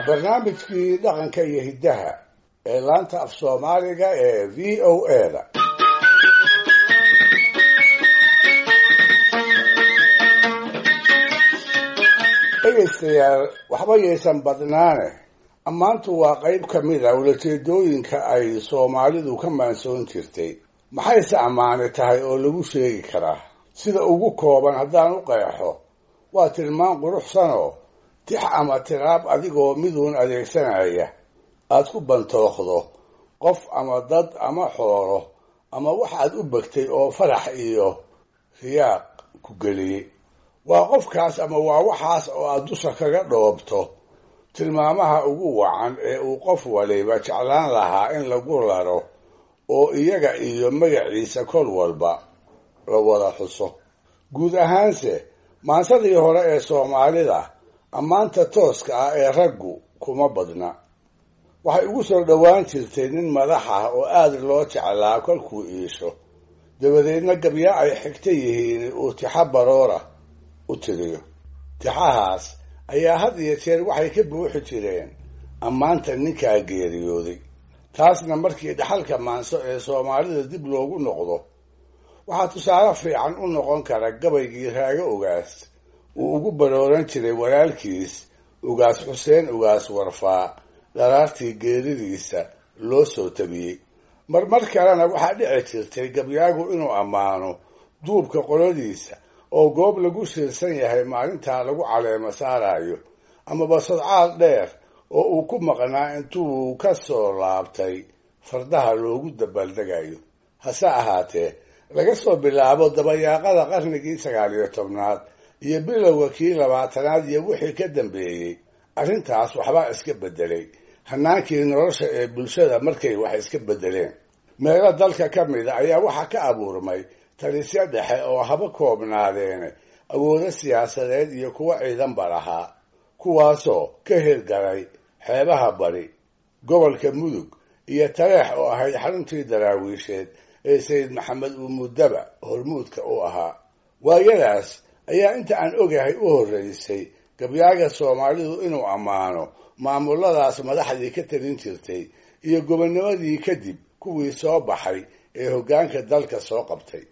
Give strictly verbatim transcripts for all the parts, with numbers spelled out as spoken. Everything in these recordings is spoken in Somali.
Barnaamijkii dhaqanka iyo hiddaha ee laanta af Soomaaliga ee V O A da. Dhegaystayaal, waxba yaysan badnaane, ammaantu waa qayb ka mid a ulajeedooyinka ay Soomaalidu ka maansoon jirtay. Maxayse ammaane tahay oo lagu sheegi karaa? Sida ugu kooban haddaan u qeexo, waa tilmaan quruxsanoo tix ama tiraab adigoo miduun adeegsanaya aad ku bantooqdo qof ama dad ama xoolo ama wax aad u begtay oo farax iyo riyaaq ku geliyey. Waa qofkaas ama waa waxaas oo aad dusha kaga dhoobto tilmaamaha ugu wacan ee uu qof waliba jeclaan lahaa in lagu laro oo iyaga iyo magaciisa kol walba la wada xuso. Guud ahaanse maansadii hore ee Soomaalida ammaanta tooska ah ee raggu kuma badna. Waxay ugu soo dhowaan jirtay nin madax ah oo aad loo jeclaa kolkuu iisho, dabadeedna gabya ay xigta yihiin uu tixa baroora u tiriyo. Tixahaas ayaa had iyo jeer waxay ka buuxi jireen ammaanta ninkaa geeriyooday. Taasna markii dhaxalka maanso ee Soomaalida dib loogu noqdo, waxaa tusaale fiican u noqon kara gabaygii Raago Ugaas uu ugu barooran jiray walaalkiis Ugaas Xuseen Ugaas Warfaa dharaartii geeridiisa loo soo tabiyey. Marmar kalena waxaa dhici jirtay gabyaagu inuu ammaano duubka qoladiisa oo goob lagu shiirsan yahay maalintaa lagu caleemo saarayo, amaba sodcaal dheer oo uu ku maqnaa intuu ka soo laabtay fardaha loogu dabaaldegayo. Hase ahaatee, laga soo bilaabo dabayaaqada qarnigii sagaal iyo tobnaad iyo bilowga kii labaatanaad iyo wixii ka dambeeyey, arrintaas waxbaa iska beddelay hannaankii nolosha ee bulshada markay wax iska beddeleen. Meelo dalka ka mida ayaa waxaa ka abuurmay talisyo dhexe oo haba koobnaadeene awoodo siyaasadeed iyo kuwo ciidanba lahaa, kuwaasoo ka hirgalay xeebaha bari, gobolka Mudug iyo Taleex oo ahayd xaruntii Daraawiisheed ee Sayid Maxamed uu muddaba hormuudka u ahaa. Waayadaas ayaa inta aan ogahay u horreysay gabyaaga Soomaalidu inuu ammaano maamuladaas madaxdii ka talin jirtay iyo gobonnimadii kadib kuwii soo baxay ee hoggaanka dalka soo qabtay.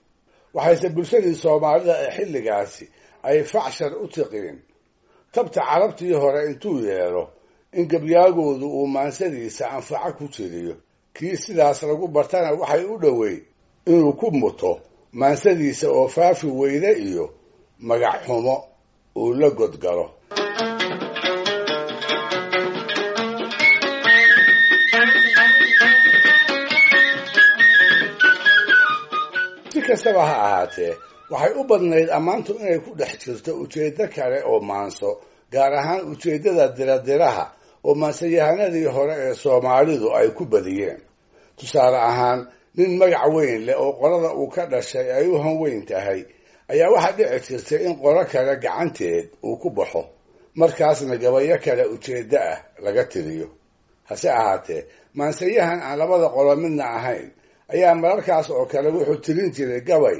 Waxayse bulshadii Soomaalida ee xilligaasi ay facshar u tiqiin tabta carabtii hore intuu yeelo in gabyaagoodu uu maansadiisa anfaco ku jiriyo. Kii sidaas lagu bartana waxay u dhoweyd inuu ku muto maansadiisa oo faafi weyde iyo magac xumo uu la godgalo. Si kastaba ha ahaatee, waxay u badnayd ammaantu inay ku dhex jirto ujeeddo kale oo maanso, gaar ahaan ujeeddada diradiraha oo maansayahanadii hore ee Soomaalidu ay ku badiyeen. Tusaale ahaan, nin magac weyn leh oo qolada uu ka dhashay ay u hanweyn tahay ayaa waxaa dhici jirtay in qolo kale gacanteed uu ku baxo, markaasna gabayo kale ujeeddo ah laga tiriyo. Hase ahaatee, maansayahan aan labada qolo midna ahayn ayaa mararkaas oo kale wuxuu tirin jiray gabay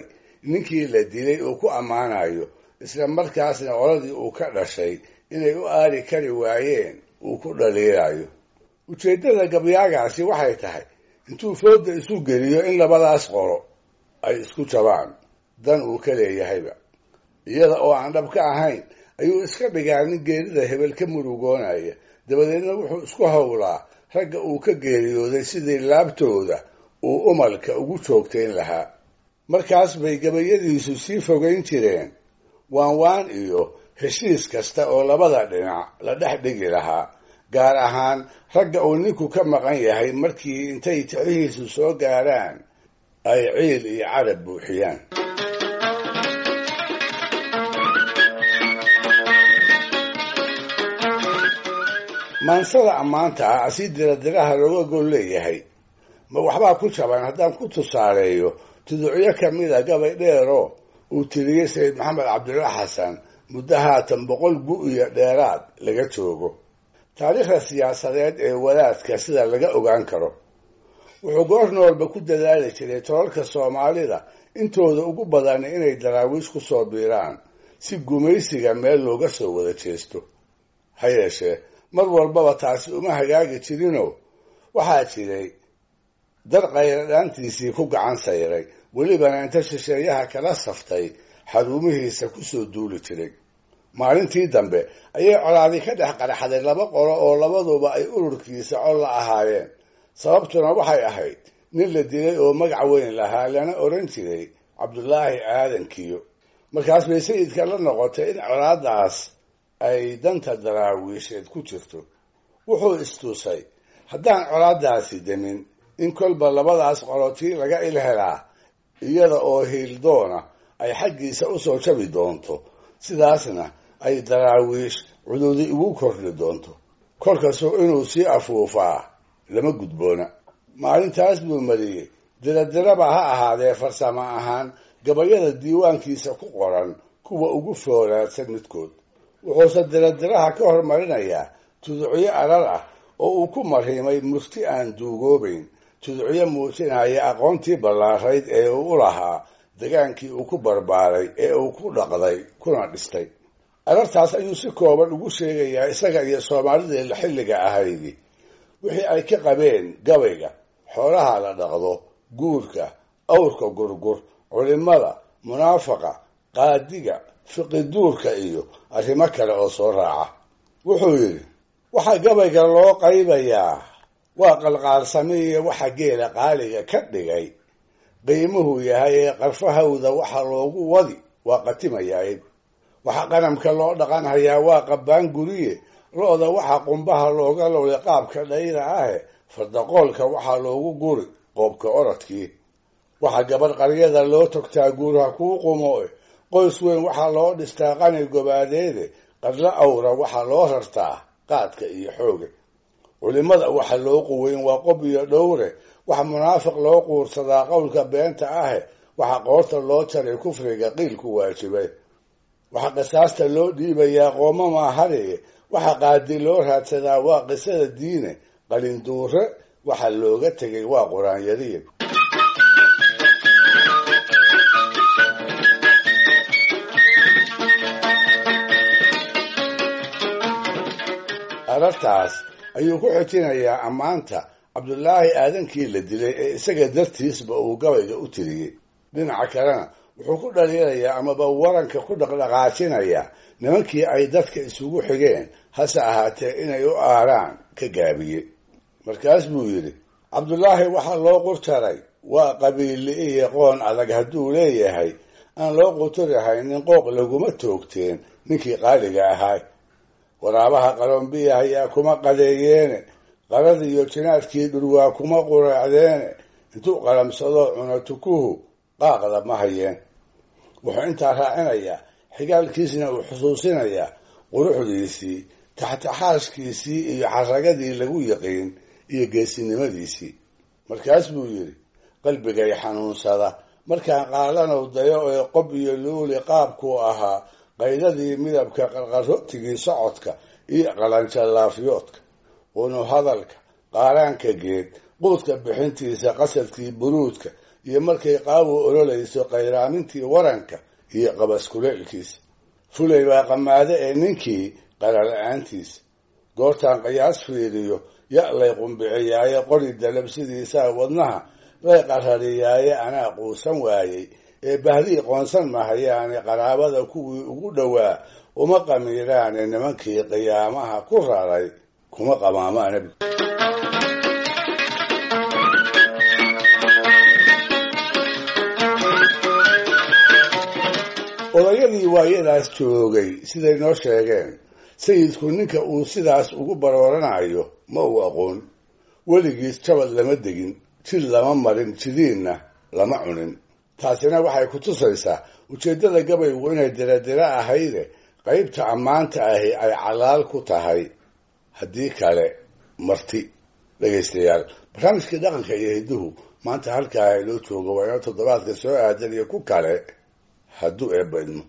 ninkii la dilay uu ku ammaanayo, isla markaasna qoladii uu ka dhashay inay u aari kari waayeen uu ku dhaliilayo. Ujeeddada gabyaagaasi waxay tahay intuu fooda isu geliyo in labadaas qolo ay isku jabaan dan uu ka leeyahayba. Iyada oo aan dhab ka ahayn ayuu iska dhigaa nin geerida hebel ka murugoonaya, dabadeedna wuxuu isku howlaa ragga uu ka geeriyooday sidii laabtooda uu umalka ugu joogtayn lahaa. Markaas bay gabayadiisu sii fogayn jireen waanwaan iyo heshiis kasta oo labada dhinac la dhex dhigi lahaa, gaar ahaan ragga uu ninku ka maqan yahay markii intay tixihiisu soo gaaraan ay ciil iyo carab buuxiyaan. Maansada ammaanta ah si diradiraha looga gol leeyahay ma waxbaa ku jaban haddaan ku tusaaleeyo tuducyo ka mida gabay dheeroo uu tiriyey Sayid Maxamed Cabdulla Xasan muddo haatan boqol gu iyo dheeraad laga joogo. Taariikhda siyaasadeed ee wadaadka sida laga ogaan karo, wuxuu goor noolba ku dadaali jiray tolalka Soomaalida intooda ugu badan inay Daraawiish ku soo biiraan si gumaysiga meel looga soo wada jeesto. Ha yeeshee, Mar walbaba taasi uma hagaagi jirinoo waxaa jiray dar qayradhaantiisii ku gacan sayray, welibana inta shisheeyaha kala saftay xaruumihiisa ku soo duuli jiray. Maalintii dambe ayay colaadi ka dhex qarxaday laba qolo oo labaduba ay ururkiisa col la ahaayeen. Sababtuna waxay ahayd nin la dilay oo magac weyn lahaa, lana oran jiray Cabdulaahi Aadankiyo. Markaas bay sayidka la noqotay in colaadaas ay danta daraawiisheed ku jirto. Wuxuu istusay haddaan colaadaasi demin in kolba labadaas qolotii laga il helaa iyada oo hiildoona ay xaggiisa usoo jabi doonto, sidaasna ay daraawiish cududi ugu kordhi doonto. Kolkasuu inuu sii afuufaa lama gudboona. Maalintaas buu mariyey diradiraba ha ahaadee farsamo ahaan gabayada diiwaankiisa ku qoran kuwa ugu foolaadsan midkood. Wuxuuse diradiraha ka hormarinayaa tuducyo arar ah oo uu ku marhimay murti aan duugoobayn, tuducyo muujinaya aqoontii ballaarayd ee uu u lahaa degaankii uu ku barbaaray ee uu ku dhaqday kuna dhistay. Arartaas ayuu si kooban ugu sheegayaa isaga iyo soomaalidii la xilliga ahaydi wixii ay ka qabeen gabayga, xoolaha la dhaqdo, guurka, awrka gurgur, culimada, munaafaqa, qaadiga, fiqiduurka iyo arrimo kale oo soo raaca. Wuxuu yidhi waxaa gabayga loo qaybayaa waa qalqaalsamiye waxa geela qaaliga ka dhigay qiimuhu yahay ee qarfahawda waxa loogu wadi waa qatimayaay. Waxa qanamka loo dhaqanhayaa waa qabbaan guriye, lo'da waxa qumbaha looga lowlay qaabka dhayda ahe, fardaqoolka waxaa loogu guri qoobka orodkii. Waxa gabadh qaryada loo togtaa guurha kuu qumo, qoys weyn waxaa loo dhistaa qani gobaadeede, qadla awra waxaa loo rartaa qaadka iyo xooga. Culimada waxa loo quweyn waa qob iyo dhowre, waxa munaafiq loo quursadaa qowlka beenta ahe, waxa qoorta loo jaray kufriga qiilku waajibay. Waxa qisaasta loo dhiibayaa qooma maahariye, waxa qaadi loo raadsadaa waa qisada diine, qalinduure waxa looga tegay waa qur-aan-yariye. Arartaas ayuu ku xijinayaa ammaanta Cabdulaahi Aadankii la dilay ee isaga dartiisba uu gabayga u tiriyey. Dhinaca kalena wuxuu ku dhaliilayaa amaba waranka ku dhaqdhaqaajinayaa nimankii ay dadka isugu xigeen, hase ahaatee inay u aaraan ka gaabiyey. Markaas buu yidhi Cabdulaahi waxaa loo qurjaray waa qabiili iyo qoon adag hadduu leeyahay, aan loo quturahaynin qooq laguma toogteen ninkii qaaliga ahaa. Waraabaha qalombiya ayaa kuma qadeeyeene, qarada iyo jinaadkii dhurwaa kuma quraacdeene, intuu qalamsado cuno tukuhu qaaqda ma hayeen. Wuxuu intaa raacinayaa xigaalkiisna uu xusuusinayaa quruxdiisii, taxtaxaashkiisii iyo xaragadii lagu yiqiin iyo geesinimadiisii. Markaas buu yidhi qalbigay xanuunsada markaan qaalanow dayo ee qob iyo luuli qaabkuu ahaa, qaydadii midabka qarqarootigii socodka iyo qalanjalaafyoodka, qunu hadalka, qaaraanka geed, quudka bixintiisa, qasadkii buruudka iyo markay qaawu ololayso qayraamintii waranka iyo qabaskuleelkiisa. Fulay baa qamaade ee ninkii qarala-aantiisa. Goortaan qiyaas fiiriyo ya lay qumbiciyaaye, qori dalabsidiisaa wadnaha lay qarariyaaye, anaa quusan waayey ee bahdii qoonsan mahayaane, qaraabada kuwii ugu dhowaa uma qamiiraane, nimankii qiyaamaha ku raray kuma qamaamaana. Odayadii waayadaas joogay siday noo sheegeen, sayidku ninka uu sidaas ugu barooranayo ma uu aqoon. Weligiis jabad lama degin, jid lama marin, jidiinna lama cunin. Taasina waxay ku tusaysaa ujeeddada gabaygu inay diradira ahayde qaybta ammaanta ahi ay calaal ku tahay, haddii kale marti. Dhegaystayaal, barnaamijkii dhaqanka iyo hidduhu maanta halkaa inoo joogo, waa inoo toddobaadka soo aadan iyo ku kale hadduu eebba idmo.